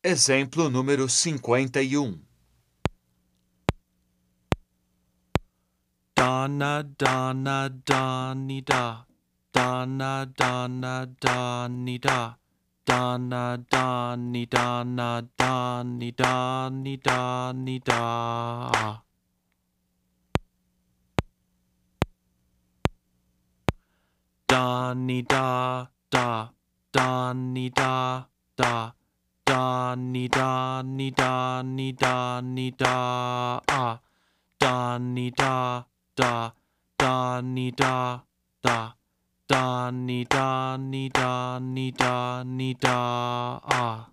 Exemplo número 51. Donna, Donna, Donny, da. Donna, Donna, Donny, da. Donna, Donny, Donna, Donny, Donny, Donny, da. Donny, da, da. Donny, da, da. Donny, Donny, Donny, Donny, da. Donny, da, da. Donny, da, da. Donny, Donny, Donny, Donny, da.